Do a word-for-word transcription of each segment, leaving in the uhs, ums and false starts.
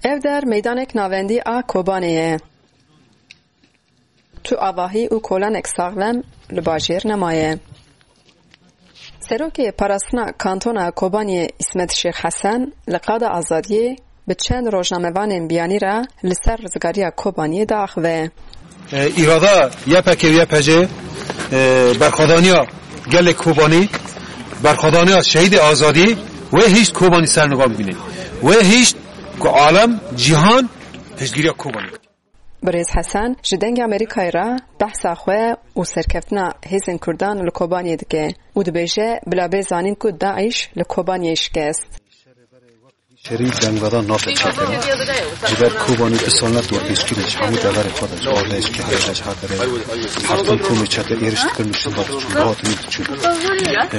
Ev der meydanek navendî a Kobanê ye. Tu avahî û kolanek saxlem li bajêr nemaye. Serokê Parastina Kantona Kobaniyê Îsmet Şêx Hesen li Qada Azadiyê bi çend rojnamevanên biyanî re li ser rizgariya Kobaniyê diaxive. E, îrada Y P K û Y P C, e, berxwedaniya gelê Kobanî, berxwedaniya şehîdê azadî wê hişt Kobanî ser niva bibîne. Wê hişt ku alem, cîhan piştgiriya Kobanî bike. Birêz Hesen ji Dengê Amerîkayê re behsa xwe û serkeftina hêzên Kurdan li Kobaniyê dike û dibêje, bila bê zanîn ku DAIŞ li Kobaniyê şikest. Şerî dengvedan nate çêkirin. Ji ber Kobanî du sal ne dorpêçkirî ji hemû deverê xwe de, ji Ardeş, Kehele, ji her derê, her tim komê çete êriş dikin, şinda diçûn, dihatin diçûn.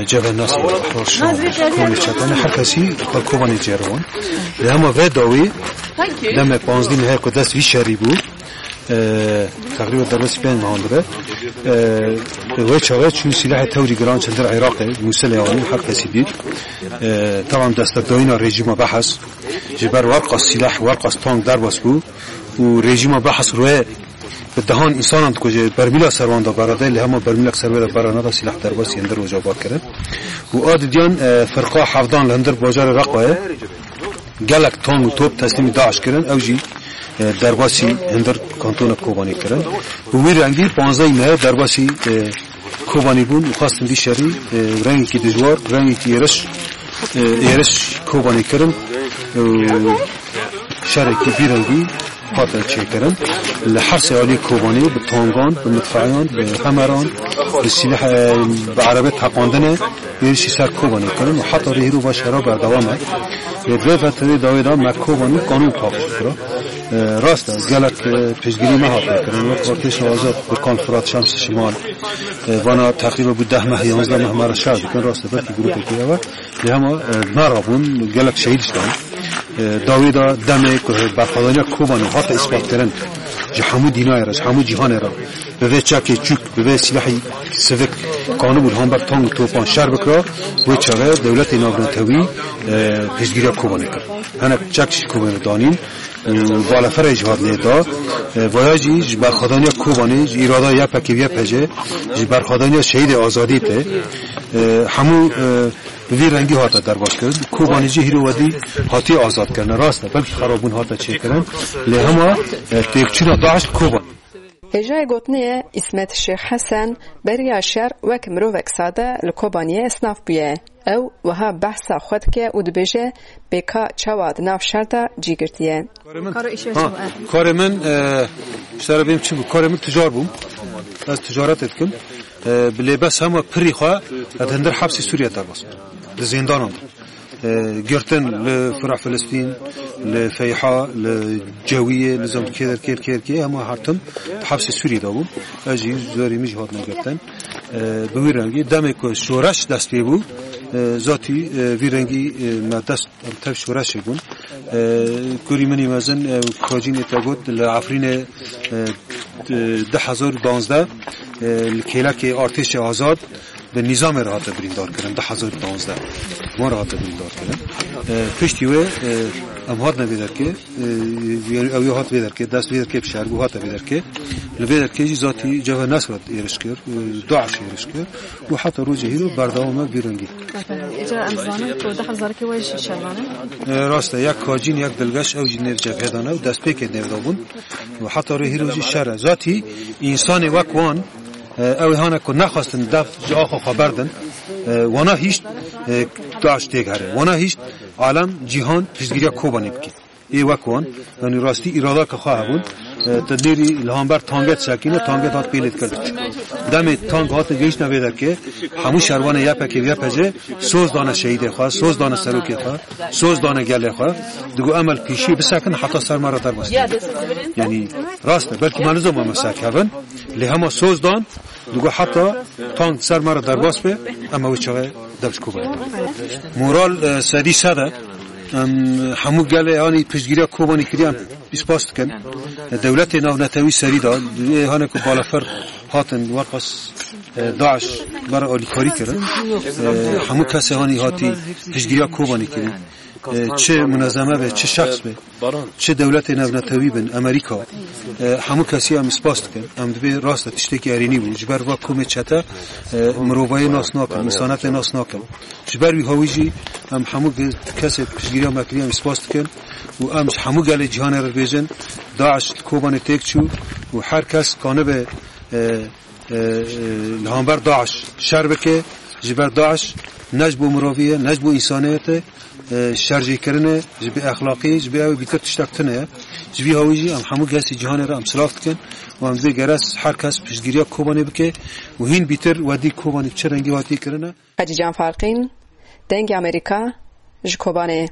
E, Cevher Nasir, Ehrar Şam, komê çete, ne her kesî xwe Kobanî cêriwan. Li hema vê dawî demê panzdî mehê ku dest vî şerî bû, e, teqrîben derbasî pênc mehan dibe. E, wê çaxê çû sîlehê tewrî giran çendir Iraqê, Mûsilê anî, her kesî dît. E, tamam destekdayîna rejîma Behs, ji ber werqas sîleh, werqas tank derbas bû û rejîma Behs rûyê bi dehan însanan dikuje, bermîla ser wan da berade, lê hema bermîlek ser wê de bera neda, sîleh derbasî hindir roja bar kirin. Û a didiyan, e, firqa hevdan li hindir bajarê Reqayê gelek tank û top teslîmî DAIŞ kirin, ew jî, e, derbasî hindir kantona Kobanê kirin. Bi wî rengî panzdeh mehê derbasî, e, Kobanî bûn û xwestin vî şerî, e, rengekî dijwar, rengekî êriş, e, êriş Kobanî kirin. E, şerekî vî rengî hate çêkirin. Li her sê alî Kobanî bi tangan, bi midfeyan, bi hemeran, bi sîleh, e, bi erebê teqandine êrişî ser Kobanê kirin û heta rê hîro va şera berdewam e. Lê vê veterê dawê de me Kobanî qanûn paqij kira. E, rast e, gelek, e, piştgirî me hate kirin. Wek Artêşa Azad, Birkan Firat, Şems Şimal, e, vana teqrîben bû deh meh, yanzdeh meh me re şer dikin. Rast e, belkî grûpekî ew e. Lê hema, e, me rabûn, gelek şehîd jî dan. E, dawê de demê ku berxwedaniya Kobanê hate îspat kirin, ji hemû dînayê re, ji hemû cîhanê re, bi vê çekê çûk, bi vê sîlehî sivik kanibû li hember tank û topan şer bikira, wê çaxê dewletê navnetewî, e, piştgiriya Kobanê kir. Hinek çek jî Kobanê danîn, e, baleferê jî hat lê da. E, vaya jî ji berxwedaniya Kobanê, ji îrada Y P K û Y P C, ji berxwedaniya şehîdê azadî tê. E, hemû, e, bi vî rengî hate derbas kirin. Kobanê jî hîro wedî hatiye azad kirin. Rast e, belkî xerabûn hate çêkirin. Lê hema, e, têkçûna DAIŞ li Kobanê. Hêjayê gotinê ye, Îsmet Şêx Hesen beriya şer wek mirovek sade li Kobaniyê esnaf bûye. Ew wiha behsa xwe dike û dibêje, pêka çawa di nav şer de cî girtiye. Karê min, Karo îşe ha, şewa. Karê min, e, ji te re bêm çi bû? Karê min ticar bûm. Ez ticaretê dikim. E, bi lê bes hema pirî xwe ez hindir hepsê Sûriye derbas bûm. Di zîndanan de. E, girtin li Firah Filistîn, li Feyha, li Cewiyê, li zam kê der kê, kê, kê, hema her tim di hepsê Sûriyê de bûm. Ez jî zorê min jî hatine girtin. E, bi wî rengî demê ku şoreş dest pê bû, e, zatî, e, vî rengî, e, me dest em tev şoreşê bûn. E, kurî min î mezin, e, Kacînê te got, li Efrînê, e, di, du hezar û duwazdeh, e, li kêlekê artêşê azad bi nîzamê re hate birîndar kirin, du hezar û duwazdeh. Wan re hate birîndar kirin. E, piştî wê, e, em hatine vê derkê, e, ew ê hat vê derkê, dest vê derkê bi şer bû, hate vê derkê. Li vê derkê jî zatî Cebhe Nesrat êriş kir, e, DAIŞ êriş kir. Û heta rojê hîro berdewam e vî rengî. Îcar em zanin ku du hezar kê we jî şervan in. E, rast e, yek Kacîn, yek Dilgeş, ew jî nêv cebhê de ne û destpêkê nêv de bûn. Û heta rê hîro jî şer e. Zatî însanê wek wan, e, ew ê hane ku nexwestin dev ji axa xwe berdin, e, wana hîşt, e, DAIŞ têk here. Wana hîşt alem, cîhan piştgiriya Kobanê bike. Ê wek wan, yanî rastî îradaka xwe hebûn. E, te dêrî li hember tanget sekîne, tanget hat pêlê dikir. Demê tank hate gehiştine vê derkê, hemû şervanê Y P K û Y P C soz dane şehîdê xwe, soz dane serokê xwe, soz dane gelê xwe. Digo em el pêşiyê bisekin heta ser me re derbas. Yanî rast e, belkî me nizam me sekevin, lê hema soz dan, Digo heta tank ser me re derbas be, em ê wê çaxê dev ji Kobanê. Moral, e, sedî sed e. Em hemû gelê, yanî piştgiriya Kobanê kiriye, em pî spas dikin. E, dewletê navnetewî serî da, ê hane ku balafir hatin, weqas, e, DAIŞ bera alîkarî kirin. E, hemû kesê hanî hatî piştgiriya Kobanê kirin. E, çi munezeme be, çi şexs be, çi dewletê navnetewî bin, Amerîka, e, hemû kesî em spas dikin. Em dibê rast e tiştekî erênî bû. Ji ber va komê çete, e, mirovayê nas nakin, însanetê nas nakin. Ji ber wî hawî jî em hemû ge-, kesê piştgiriya me kiriye em spas dikin û em ji hemû gelê cîhanê re dibêjin, DAIŞ li Kobanê têk çû û her kes kanibe, e, e, e, li hember DAIŞ şer bike, ji ber DAIŞ ne ji bo mirovî ye, ne ji bo însaniyet e, e, şerjêkirin e, ji bê exlaqî, ji bê ew bîtir tiştek tune ye. Ji vî hawî jî em hemû kesî cîhanê re em silav dikin û em dibê geres her kes piştgiriya Kobanê bike û hîn bîtir wedî Kobanê çi rengî hatî kirine. Hecîcan Farqîn, Dengê Amerîka, ji Kobanê.